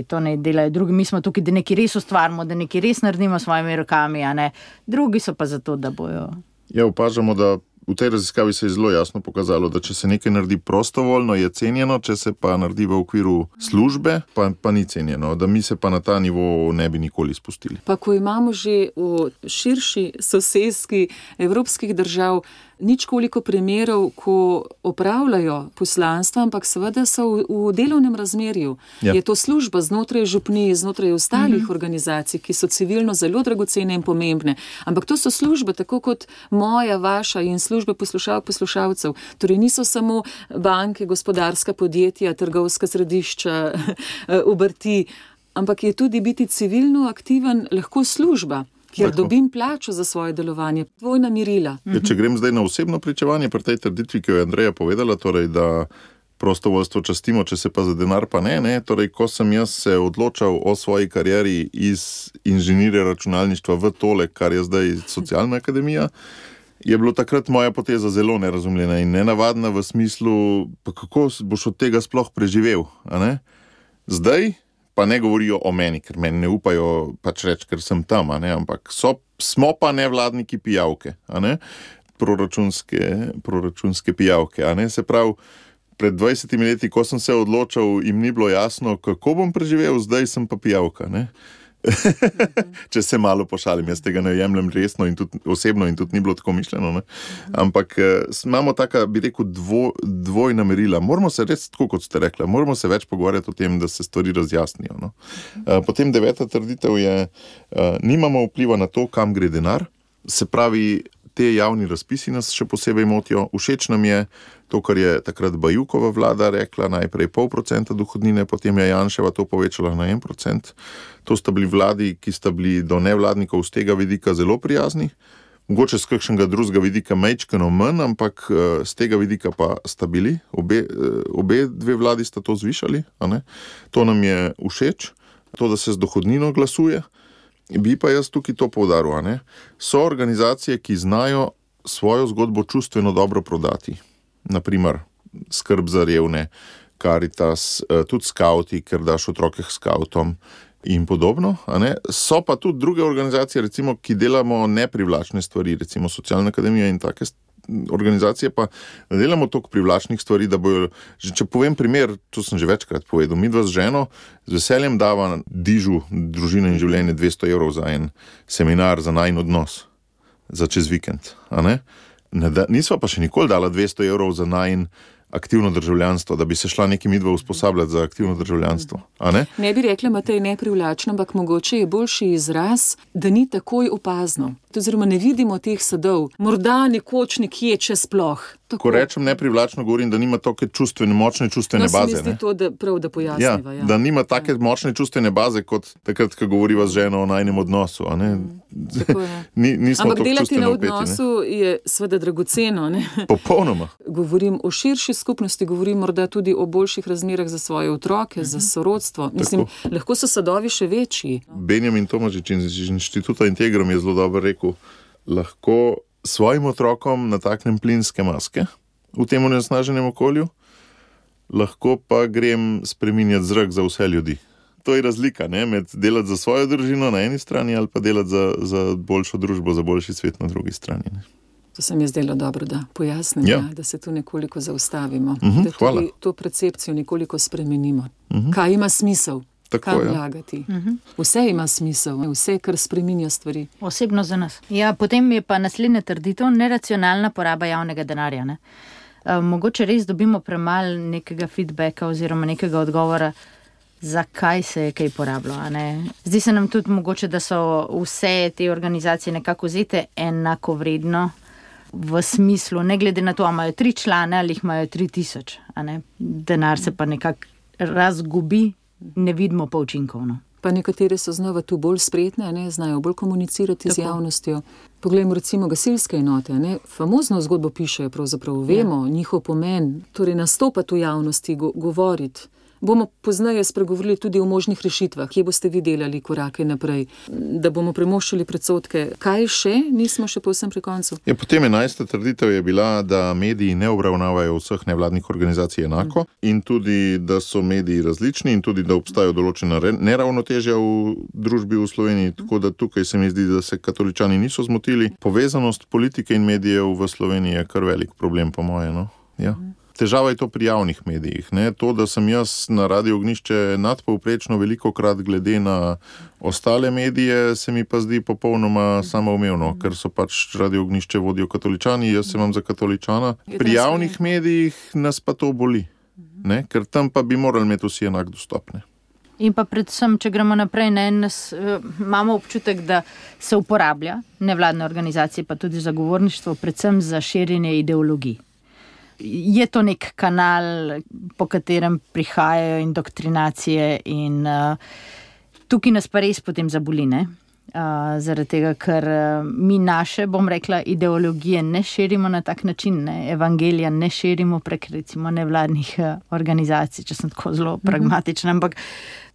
to ne delajo drugi, mi smo tukaj, da nekaj res ustvarimo, da nekaj res naredimo s svojimi rokami, a ne? Drugi so pa zato, da bojo. Ja, opažamo, da v tej raziskavi se je zelo jasno pokazalo, da če se nekaj naredi prostovoljno, je cenjeno, če se pa naredi v okviru službe, pa ni cenjeno, da mi se pa na ta nivo ne bi nikoli spustili. Pa ko imamo že v širši soseski evropskih držav ničkoliko primerov, ko opravljajo poslanstva, ampak seveda so v delovnem razmerju. Ja. Je to služba znotraj župnij, znotraj ostalih organizacij, ki so civilno zelo dragocene in pomembne. Ampak to so službe, tako kot moja, vaša in službe poslušalcev. Torej niso samo banke, gospodarska podjetja, trgovska središča, obrti, ampak je tudi biti civilno aktiven lahko služba, kjer dobim plačo za svoje delovanje, dvojna merila. Ja, če grem zdaj na osebno pričevanje pri tej trditvi, ki jo je Andreja povedala, torej, da prostovoljstvo častimo, če se pa za denar pa ne. Torej, ko sem jaz se odločal o svoji karieri iz inženirja računalništva v tole, kar je zdaj socialna akademija, je bilo takrat moja poteza zelo nerazumljena in nenavadna v smislu, pa kako boš od tega sploh preživel, a ne? Zdaj pa ne govorijo o meni, ker meni ne upajo pač reči, ker sem tam, a ne? Ampak smo pa nevladniki pijavke, a ne? Proračunske pijavke, a ne? Se pravi, Pred 20 leti, ko sem se odločal, jim ni bilo jasno, kako bom preživel, zdaj sem pa pijavka, ne? Če se malo pošalim, jaz tega ne jemljem resno in tudi osebno in tudi ni bilo tako mišljeno, ne? Ampak imamo taka, bi rekel, dvojna merila. Moramo se res, tako kot ste rekla, moramo se več pogovarjati o tem, da se stvari razjasnijo, no? Potem 9. trditev je, nimamo vpliva na to, kam gre denar, se pravi, te javni razpisi nas še posebej motijo. Všeč nam je to, kar je takrat Bajukova vlada rekla, najprej 0,5% dohodnine, potem je Janševa to povečala na 1%. To sta bili vladi, ki sta bili do nevladnikov z tega vidika zelo prijazni. Mogoče z kakšnega drugega vidika majčkeno manj, ampak z tega vidika pa sta bili. Obe dve vladi sta to zvišali, a ne? To nam je všeč, to, da se z dohodnino glasuje. Bi pa jaz tukaj to poudaril, a ne? So organizacije, ki znajo svojo zgodbo čustveno dobro prodati. Naprimer, skrb za revne, Karitas, tudi skauti, ker daš otroke skautom in podobno, a ne? So pa tudi druge organizacije, recimo, ki delamo neprivlačne stvari, recimo Socialna akademija in take organizacije pa ne delamo toliko privlačnih stvari, da bojo, če povem primer, to sem že večkrat povedal, midva z ženo z veseljem dava Dižu družine in življenje 200 € za en seminar za najin odnos, za čez vikend, a ne? Nisva pa še nikoli dala 200 € za najin aktivno državljanstvo, da bi se šla neki midva usposabljati za aktivno državljanstvo, a ne? Ne bi rekla, Matej, neprivlačno, ampak mogoče je boljši izraz, da ni takoj opazno. Oziroma ne vidimo teh sadov. Morda nekoč nekje, če sploh. Tako. Ko rečem neprivlačno, govorim, da nima take močne čustvene baze. No, se mi zdi to, da prav, da pojasniva. Ja, da nima take močne čustvene baze, kot takrat, ko govoriva z ženo o najnem odnosu, a ne? Ampak delati na odnosu je seveda dragoceno, ne? Popolnoma. Govorim o širši skupnosti, govorim morda tudi o boljših razmerah za svoje otroke, za sorodstvo. Mislim, lahko so sadovi še večji. Benjamin Tomažič iz Inštituta Integrum je zelo dobro rekel, lahko svojim otrokom nataknem plinske maske v tem onesnaženem okolju, lahko pa grem spreminjati zrak za vse ljudi. To je razlika, ne? Med delati za svojo družino na eni strani ali pa delati za boljšo družbo, za boljši svet na drugi strani, ne? To se mi je zdelo dobro, da pojasnim, da se tu nekoliko zaustavimo, da tudi to percepcijo nekoliko spremenimo. Kaj ima smisel? Kam vlagati. Vse ima smisel, vse, kar spreminja stvari. Osebno za nas. Ja, potem je pa naslednja trditev, neracionalna poraba javnega denarja, ne? Mogoče res dobimo premalo nekega feedbacka oziroma nekega odgovora, zakaj se je kaj porabilo, a ne? Zdi se nam tudi mogoče, da so vse te organizacije nekako vzete enakovredno v smislu, ne glede na to, ali imajo 3 člane ali jih imajo 3000, a ne? Denar se pa nekako razgubi, ne vidimo pa učinkovno. Pa nekatere so znova tu bolj spretne, ne? Znajo bolj komunicirati z javnostjo. Poglejmo recimo gasilske enote, ne? Famozno zgodbo pišejo, pravzaprav vemo njihov pomen, torej nastopati v javnosti, govoriti. Bomo pozneje spregovorili tudi o možnih rešitvah, kje boste vi delali korake naprej, da bomo premoščili predsodke. Kaj še? Nismo še povsem pri koncu. Ja, potem 11. trditev je bila, da mediji ne obravnavajo vseh nevladnih organizacij enako in tudi, da so mediji različni in tudi, da obstajajo določena neravnotežja v družbi v Sloveniji, tako da tukaj se mi zdi, da se katoličani niso zmotili. Povezanost politike in medijev v Sloveniji je kar velik problem, po moje, no? Ja. Težava je to pri javnih medijih, ne? To, da sem jaz na Radio Ognjišče nadpovprečno velikokrat glede na ostale medije, se mi pa zdi popolnoma samoumevno, ker so pač Radio Ognjišče vodijo katoličani, jaz se imam za katoličana. Pri javnih medijih nas pa to boli, ne? Ker tam pa bi morali imeti vsi enak dostopne. In pa predvsem, če gremo naprej, imamo občutek, da se uporablja nevladne organizacije, pa tudi zagovorništvo, predvsem za širjenje ideologij. Je to nek kanal, po katerem prihajajo indoktrinacije in tukaj nas pa res potem zaboli, ne? Zaradi tega, ker mi naše, bom rekla, ideologije ne širimo na tak način, ne? Evangelija ne širimo prek recimo nevladnih organizacij, če sem tako zelo pragmatična, ampak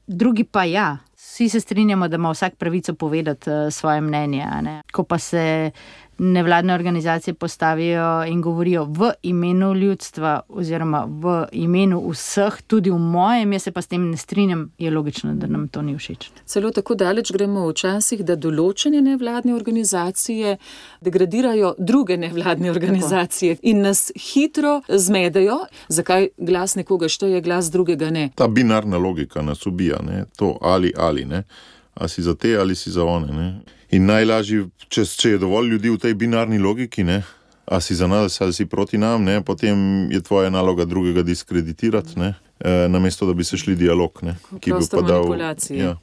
drugi pa ja. Vsi se strinjamo, da ima vsak pravico povedati svoje mnenje, ne? Ko pa se nevladne organizacije postavijo in govorijo v imenu ljudstva oziroma v imenu vseh, tudi v mojem, jaz se pa s tem ne strinjam, je logično, da nam to ni všeč. Celo tako daleč gremo včasih, da določene nevladne organizacije degradirajo druge nevladne organizacije in nas hitro zmedejo, zakaj glas nekoga šteje, glas drugega ne. Ta binarna logika nas ubija, ne? To ali, ne? A si za te ali si za one, ne? In najlažje, če je dovolj ljudi v tej binarni logiki, ne? A si za nas ali si proti nam, ne? Potem je tvoja naloga drugega diskreditirati, ne? Namesto da bi se šli dialog, ne? Ki bi pa dal, ja.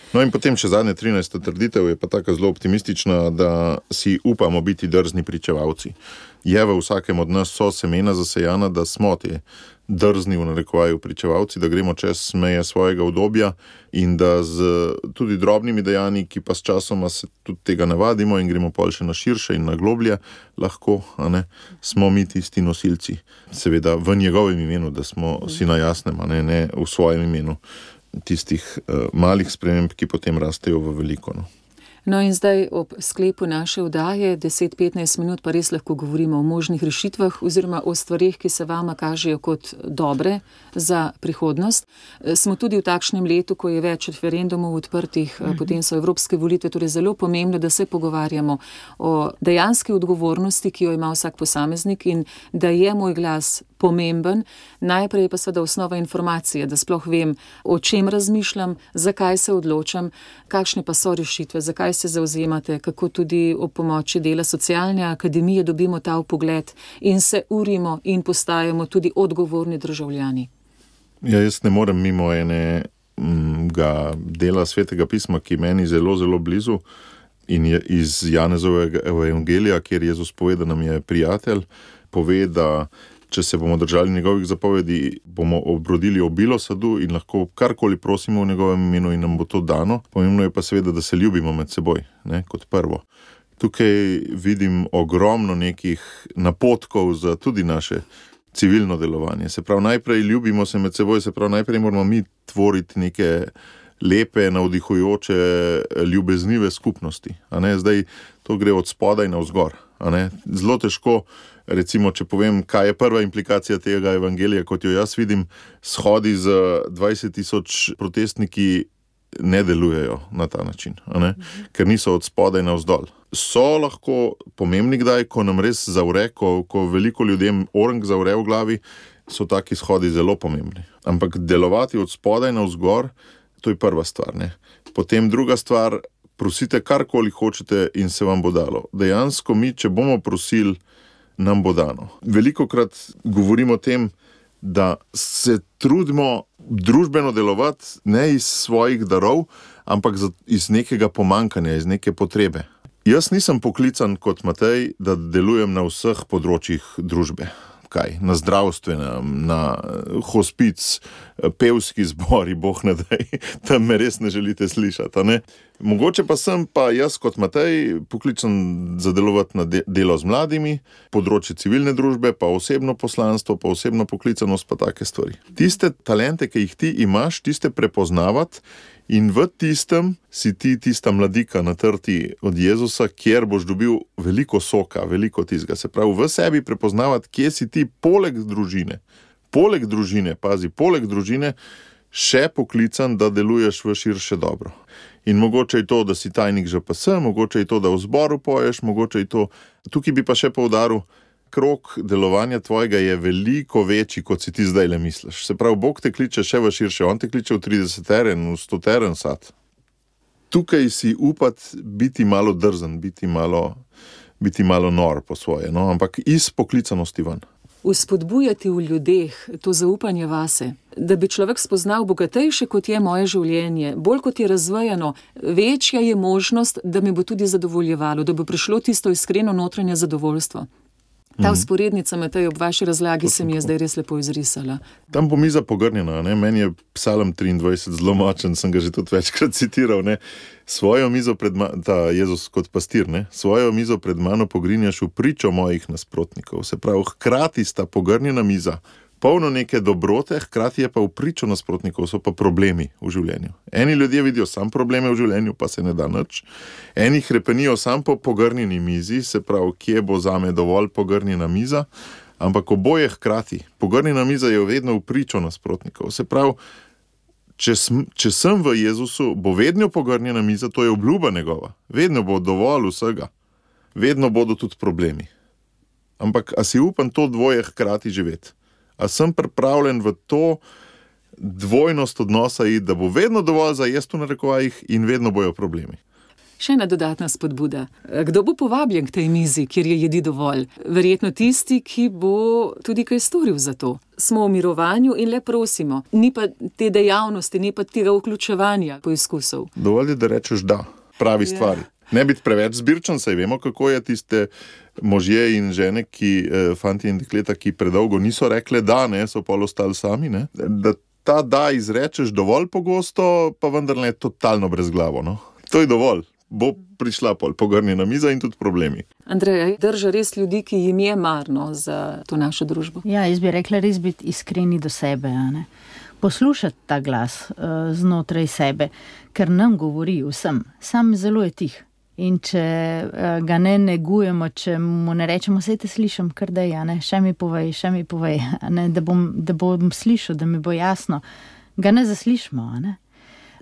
No in potem še zadnja 13. trditev je pa taka zelo optimistična, da si upamo biti drzni pričevalci. Je v vsakem od nas so semena zasejana, da smo te drzni v narekovaju pričevalci, da gremo čez meje svojega udobja in da z tudi drobnimi dejanji, ki pa s časoma se tudi tega navadimo in gremo pol še na širše in na globlje, lahko, a ne, smo mi tisti nosilci. Seveda v njegovem imenu, da smo si na jasnem, a ne v svojem imenu tistih malih sprememb, ki potem rastejo v veliko. No in zdaj ob sklepu naše oddaje 10-15 minut pa res lahko govorimo o možnih rešitvah oziroma o stvarih, ki se vama kažejo kot dobre za prihodnost. Smo tudi v takšnem letu, ko je več referendumov odprtih, potem so evropske volitve, torej zelo pomembno, da se pogovarjamo o dejanski odgovornosti, ki jo ima vsak posameznik in da je moj glas pomemben. Najprej pa seveda osnova informacije, da sploh vem, o čem razmišljam, zakaj se odločam, kakšne pa so rešitve, zakaj se zauzemate, kako tudi ob pomoči dela socialne akademije dobimo ta vpogled in se urimo in postajamo tudi odgovorni državljani. Ja, jaz ne morem mimo enega dela Svetega pisma, ki meni zelo, zelo blizu in je iz Janezovega evangelija, kjer Jezus pove, da nam je prijatelj, pove, da če se bomo držali njegovih zapovedi, bomo obrodili obilo sadu in lahko karkoli prosimo v njegovem imenu in nam bo to dano. Pomembno je pa seveda, da se ljubimo med seboj, ne, kot prvo. Tukaj vidim ogromno nekih napotkov za tudi naše civilno delovanje. Se pravi, najprej ljubimo se med seboj, se pravi, najprej moramo mi tvoriti neke lepe, navdihujoče, ljubeznive skupnosti. A ne? Zdaj to gre od spodaj navzgor. A ne? Zelo težko, recimo, če povem, kaj je prva implikacija tega evangelija, kot jo jaz vidim, shodi z 20,000 protestniki ne delujejo na ta način, a ne? Ker niso od spodaj navzdol. So lahko pomembni kdaj, ko nam res zavre, ko veliko ljudem orang zavre v glavi, so taki shodi zelo pomembni. Ampak delovati od spodaj navzgor, to je prva stvar, ne? Potem druga stvar, prosite karkoli hočete in se vam bo dalo. Dejansko mi, če bomo prosili, nam bo dano. Velikokrat govorimo o tem, da se trudimo družbeno delovati ne iz svojih darov, ampak iz nekega pomankanja, iz neke potrebe. Jaz nisem poklican kot Matej, da delujem na vseh področjih družbe. Kaj? Na zdravstvenem, na hospic, pevski zbori, boh ne daj, tam me res ne želite slišati, ne? Mogoče pa sem pa jaz kot Matej poklican za delovati na delo z mladimi, področje civilne družbe, pa osebno poslanstvo, pa osebno poklicanost, pa take stvari. Tiste talente, ki jih ti imaš, tiste prepoznavati in v tistem si ti tista mladika natrti od Jezusa, kjer boš dobil veliko soka, veliko tizga. Se pravi, v sebi prepoznavati, kje si ti poleg družine, poleg družine še poklican, da deluješ v širše dobro. In mogoče je to, da si tajnik ŽPS, mogoče je to, da v zboru poješ, mogoče je to. Tukaj bi pa še poudaril, krog delovanja tvojega je veliko večji, kot si ti zdaj le misliš. Se pravi, Bog te kliče še v širše, on te kliče v 30-teren, v 100-teren sad. Tukaj si upati biti malo drzen, biti malo nor po svoje, no? Ampak iz poklicanosti ven. Vzpodbujati v ljudeh to zaupanje vase, da bi človek spoznal bogatejše, kot je moje življenje, bolj kot je razvejano, večja je možnost, da me bo tudi zadovoljevalo, da bo prišlo tisto iskreno notranje zadovoljstvo. Ta vzporednica, Matej, ob vaši razlagi se mi je zdaj res lepo izrisala. Tam bo miza pogrnjena, ne? Meni je Psalm 23 zelo močen, sem ga že tudi večkrat citiral, ne? Svojo mizo ta Jezus kot pastir, ne? Svojo mizo pred mano pogrinjaš v pričo mojih nasprotnikov. Se pravi, hkrati sta pogrnjena miza, polno neke dobrote, hkrati je pa v pričo nasprotnikov, so pa problemi v življenju. Eni ljudje vidijo sam probleme v življenju, pa se ne da nič. Eni hrepenijo sam po pogrnjeni mizi, se pravi, kje bo zame dovolj pogrnjena miza, ampak oboje hkrati. Pogrnjena miza je vedno v pričo nasprotnikov. Se pravi, če sem v Jezusu, bo vedno pogrnjena miza, to je obljuba njegova. Vedno bo dovolj vsega. Vedno bodo tudi problemi. Ampak a si upam to dvoje hkrati živeti? A sem pripravljen v to dvojnost odnosa iti, da bo vedno dovolj za jesti v narekovajih in vedno bojo problemi? Še ena dodatna spodbuda. Kdo bo povabljen k tej mizi, kjer je jedi dovolj? Verjetno tisti, ki bo tudi kaj storil za to. Smo v mirovanju in le prosimo. Ni pa te dejavnosti, ni pa tega vključevanja poizkusov. Dovolj je, da rečeš da, pravi stvari. Ne biti preveč zbirčen, saj vemo, kako je tiste možje in žene, fanti in dekleta, ki predolgo niso rekli da, ne, so pol ostali sami, ne. Da ta da izrečeš dovolj pogosto, pa vendar ne totalno brezglavo, no. To je dovolj. Bo prišla pol pogrnjena miza in tudi problemi. Andreja, drža res ljudi, ki jim je marno za to našo družbo? Ja, jaz bi rekla res biti iskreni do sebe, a ne. Poslušati ta glas znotraj sebe, ker nam govori vsem, sam zelo je tih. In če ga ne negujemo, če mu ne rečemo, saj te slišim, kar daj, še mi povej, da bom slišal, da mi bo jasno, ga ne zaslišimo.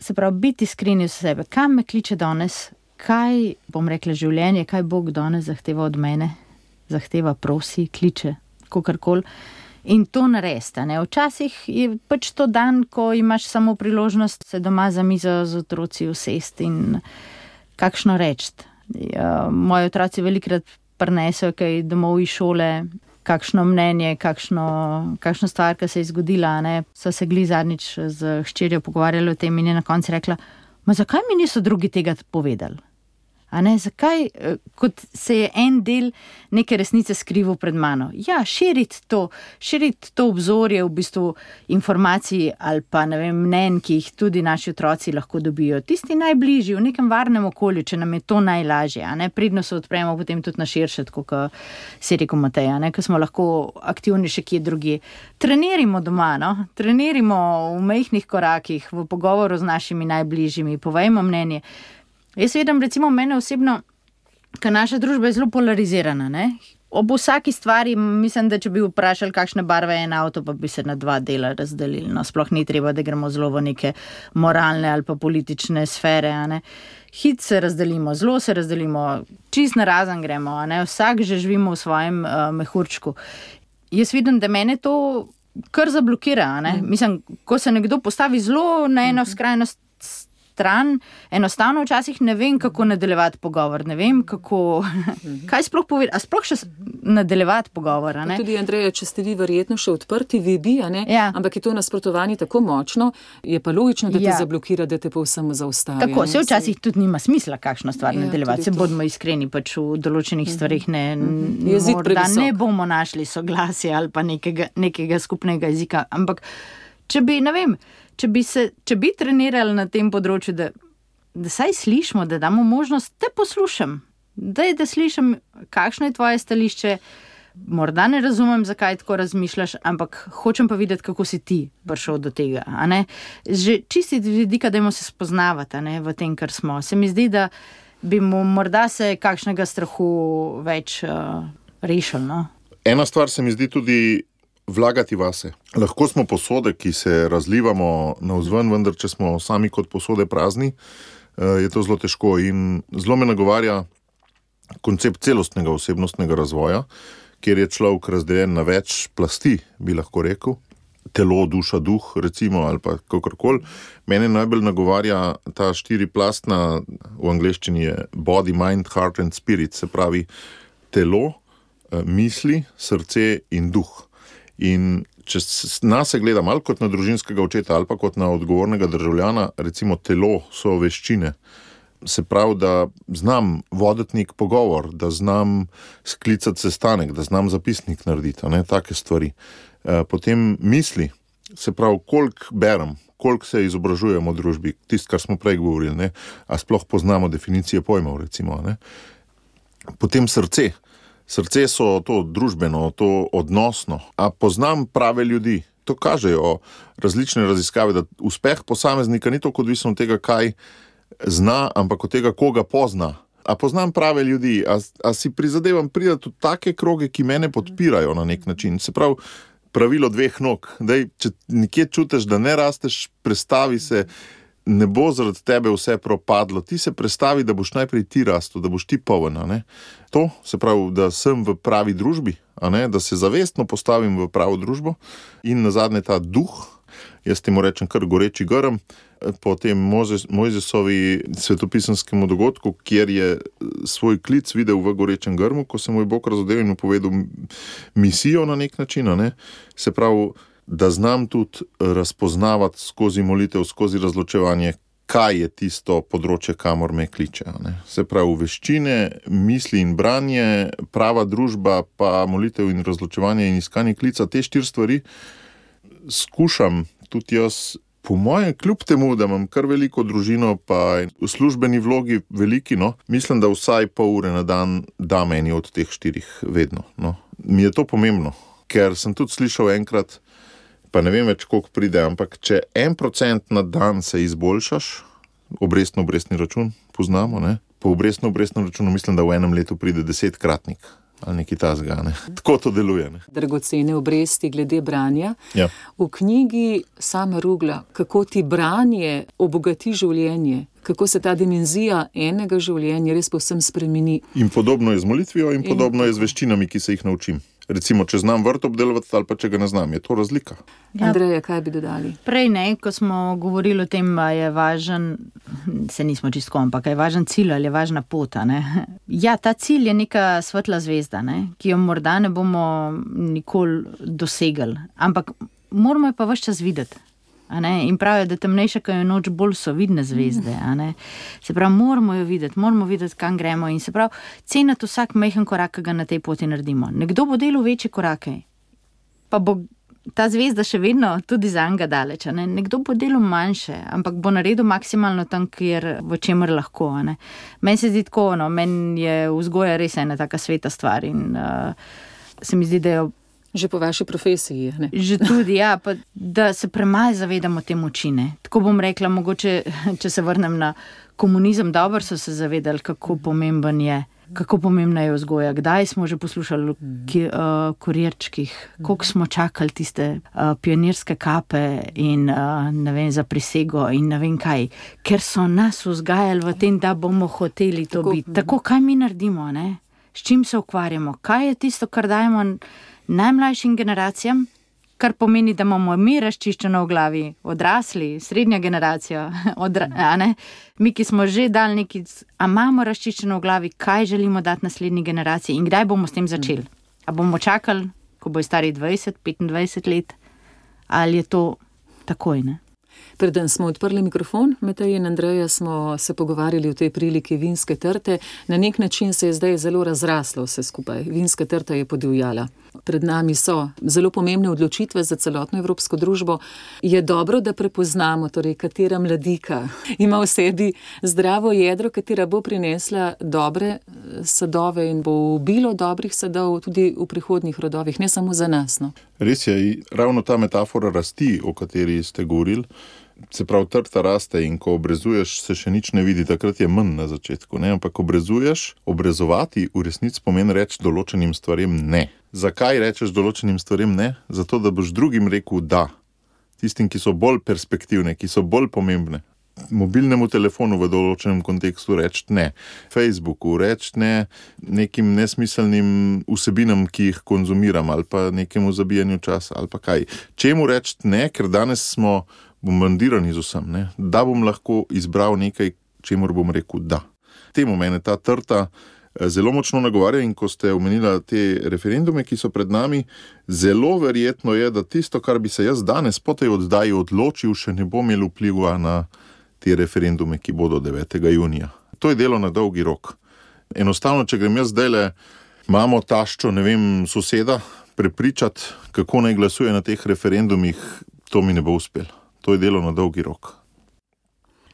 Se pravi, biti iskreni v sebe. Kam me kliče danes, kaj bom rekla življenje, kaj Bog danes zahteva od mene, zahteva, prosi, kliče, kakorkoli. In to narediti. Včasih je pač to dan, ko imaš samo priložnost se doma za mizo z otroci usesti in kakšno reči. Moji otroci velikrat prinesejo kaj domov iz šole, kakšno mnenje, kakšno stvar, ki se je zgodila. So se glih zadnjič z hčerjo pogovarjali o tem in je na koncu rekla, zakaj mi niso drugi tega povedali? Zakaj, kot se je en del neke resnice skrival pred mano? Ja, širiti to obzorje v bistvu informacij ali pa mnenj, ki jih tudi naši otroci lahko dobijo. Tisti najbližji, v nekem varnem okolju, če nam je to najlažje. Pridno se odpremo potem tudi na širše, tako kot si rekel Matej, ko smo lahko aktivni še kje drugje. Trenirimo doma, trenirimo v majhnih korakih, v pogovoru z našimi najbližjimi, povejmo mnenje. Jaz vidim, recimo, mene osebno, ker naša družba je zelo polarizirana. Ob vsaki stvari, mislim, da če bi vprašali, kakšne barve je en avto, pa bi se na dva dela razdelili. Sploh ni treba, da gremo zelo v neke moralne ali pa politične sfere. Hit se razdelimo, zelo se razdelimo, čist narazen gremo. Vsak že živimo v svojem mehurčku. Jaz vidim, da mene to kar zablokira. Mislim, ko se nekdo postavi zelo na eno skrajnost stran, enostavno včasih ne vem, kako nadaljevati pogovor, ne vem, kaj sploh povedati, a sploh še nadaljevati pogovor. Tudi, Andreja, če ste vi verjetno še odprti, vi bi, Ja. Ampak je to nasprotovanje tako močno, je pa logično, da te zablokira, da te povsem zaustavi. Tako, se včasih tudi nima smisla kakšno stvar nadaljevati, se tudi to. bodimo iskreni, pač v določenih stvarih Jezik morda previsok. ne bomo našli soglasja ali pa nekega skupnega jezika, ampak če bi, ne vem, če bi trenirali na tem področju, da saj slišimo, da damo možnost, te poslušam, da slišim, kakšno je tvoje stališče, morda ne razumem, zakaj tako razmišljaš, ampak hočem pa videti, kako si ti prišel do tega. Že čisti vidika, dajmo se spoznavati v tem, kar smo. Se mi zdi, da bi mu morda se kakšnega strahu več rešil. Ena stvar se mi zdi tudi vlagati vase. Lahko smo posode, ki se razlivamo navzven, vendar če smo sami kot posode prazni, je to zelo težko in zelo me nagovarja koncept celostnega osebnostnega razvoja, kjer je človek razdeljen na več plasti, bi lahko rekel. Telo, duša, duh, recimo, ali pa kakorkoli. Mene najbolj nagovarja ta štiriplastna, v angleščini je body, mind, heart and spirit, se pravi telo, misli, srce in duh. In če nas se gleda malo kot na družinskega očeta ali pa kot na odgovornega državljana, recimo telo so veščine. Se pravi, da znam voditi nek pogovor, da znam sklicati sestanek, da znam zapisnik narediti, take stvari. Potem misli, se pravi, koliko berem, koliko se izobražujemo v družbi, tisto, kar smo prej govorili, a sploh poznamo definicije pojmov, recimo. Potem srce. Srce so to družbeno, to odnosno. A poznam prave ljudi. To kažejo različne raziskave, da uspeh posameznika ni toliko odvisen od tega, kaj zna, ampak od tega, koga pozna. A poznam prave ljudi, a si prizadevam priti v take kroge, ki mene podpirajo na nek način. Se pravi, pravilo 2 nog. Daj, če nekje čutiš, da ne rasteš, prestavi se, ne bo zaradi tebe vse propadlo. Ti se prestavi, da boš najprej ti rastel, da boš ti poln. To se pravi, da sem v pravi družbi, da se zavestno postavim v pravo družbo in nazadnje ta duh, jaz temu rečem kar goreči grm, po tem Mojzesovi svetopisanskemu dogodku, kjer je svoj klic videl v gorečem grmu, ko se mu je Bog razodel in mu povedal misijo na nek način. Se pravi, da znam tudi razpoznavati skozi molitev, skozi razločevanje, kaj je tisto področje, kamor me kliče. Se pravi, veščine, misli in branje, prava družba, pa molitev in razločevanje in iskanje klica, te 4 stvari skušam tudi jaz, po mojem, kljub temu, da imam kar veliko družino, pa v službeni vlogi veliki, mislim, da vsaj pol ure na dan dam eni od teh 4 vedno. Mi je to pomembno, ker sem tudi slišal enkrat, pa ne vem več, koliko pride, ampak če 1% na dan se izboljšaš, obrestno-obrestni račun poznamo, po obrestno-obrestnem računu mislim, da v enem letu pride 10-kratnik ali nekaj tasga. Tako to deluje. Dragocene obresti glede branja. Ja. V knjigi Sama Rugla, kako ti branje obogati življenje, kako se ta dimenzija enega življenja res povsem spremeni. In podobno je z molitvijo in podobno je z veščinami, ki se jih naučim. Recimo, če znam vrt obdelovati ali pa če ga ne znam, je to razlika. Ja. Andreja, kaj bi dodali? Prej ko smo govorili o tem, je važen, se nismo čisto, ampak je važen cilj ali je važna pot. Ja, ta cilj je neka svetla zvezda, ki jo morda ne bomo nikoli dosegli, ampak moramo jo pa ves čas videti. In pravijo, da temnejša, ko je noč, bolj so vidne zvezde. Se pravi, moramo jo videti, kam gremo in se pravi, ceniti vsak majhen korak, ki ga na tej poti naredimo. Nekdo bo delal večje korake, pa bo ta zvezda še vedno tudi za njega daleč. Nekdo bo delal manjše, ampak bo naredil maksimalno tam, kjer v čemer lahko. Meni se zdi tako, meni je vzgoja res ena taka sveta stvar in se mi zdi, da jo že po vaši profesiji, ne? Že tudi, ja, pa da se premalo zavedamo te moči, Tako bom rekla, mogoče, če se vrnem na komunizem, dobro so se zavedali, kako pomembna je vzgoja. Kdaj smo že poslušali o kurirčkih, koliko smo čakali tiste pionirske kape in ne vem, za prisego in ne vem kaj, ker so nas vzgajali v tem, da bomo hoteli to biti. Tako, kaj mi naredimo, S čim se ukvarjamo? Kaj je tisto, kar dajemo najmlajšim generacijam, kar pomeni, da imamo mi razčiščeno v glavi, odrasli, srednja generacija, mi, ki smo že dali nekaj, a imamo razčiščeno v glavi, kaj želimo dati naslednji generaciji in kdaj bomo s tem začeli. A bomo čakali, ko bojo stari 20, 25 let, ali je to takoj, Preden smo odprli mikrofon, Matej in Andreja, smo se pogovarjali o tej priliki vinske trte. Na nek način se je zdaj zelo razraslo vse skupaj. Vinska trta je podivjala. Pred nami so zelo pomembne odločitve za celotno evropsko družbo. Je dobro, da prepoznamo, katera mladika ima v sebi zdravo jedro, katera bo prinesla dobre sadove in bo ubilo dobrih sadov tudi v prihodnjih rodovih, ne samo za nas. Res je, ravno ta metafora rasti, o kateri ste govorili, se pravi, trta raste in ko obrezuješ, se še nič ne vidi, takrat je manj na začetku, ampak obrezovati v resnici pomeni reči določenim stvarem ne. Zakaj rečeš določenim stvarem ne? Zato, da boš drugim rekel da. Tistim, ki so bolj perspektivne, ki so bolj pomembne. Mobilnemu telefonu v določenem kontekstu reči ne. Facebooku reči ne, nekim nesmiselnim vsebinam, ki jih konzumiram, ali pa nekemu zabijanju časa, ali pa kaj. Čemu reči ne, ker danes smo bombardirani z vsem, da bom lahko izbral nekaj, čemur bom rekel da. Temu mene ta trta zelo močno nagovarja in ko ste omenila te referendume, ki so pred nami, zelo verjetno je, da tisto, kar bi se jaz danes po tej oddaji odločil, še ne bo imel vpliva na te referendume, ki bodo 9. junija. To je delo na dolgi rok. Enostavno, če grem jaz zdajle, imamo taščo, soseda, prepričati, kako naj glasuje na teh referendumih, to mi ne bo uspelo. To je delo na dolgi rok.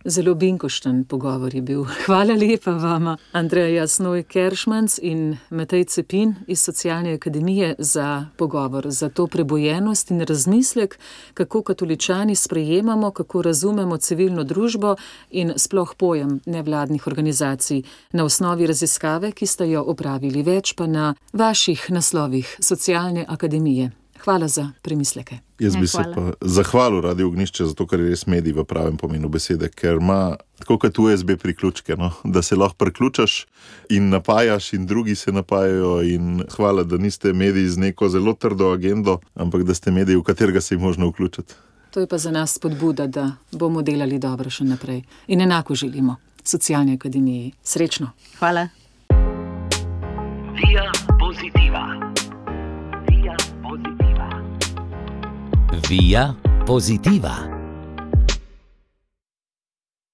Zelo binkošten pogovor je bil. Hvala lepa vama, Andreja Snoj-Keršmanc in Matej Cepin iz Socialne akademije za pogovor, za to prebojenost in razmislek, kako katoličani sprejemamo, kako razumemo civilno družbo in sploh pojem nevladnih organizacij na osnovi raziskave, ki ste jo opravili, več pa na vaših naslovih Socialne akademije. Hvala za premisleke. Jaz bi se pa zahvalil Radio Ognjišče, zato ker je res medij v pravem pomenu besede, ker ima tako kot USB priključke, no? Da se lahko priključaš in napajaš in drugi se napajajo in hvala, da niste mediji z neko zelo trdo agendo, ampak da ste mediji, v katerega se je možno vključiti. To je pa za nas spodbuda, da bomo delali dobro še naprej. In enako želimo Socialni akademiji. Srečno. Hvala. Via Positiva. Via Positiva. Via Positiva.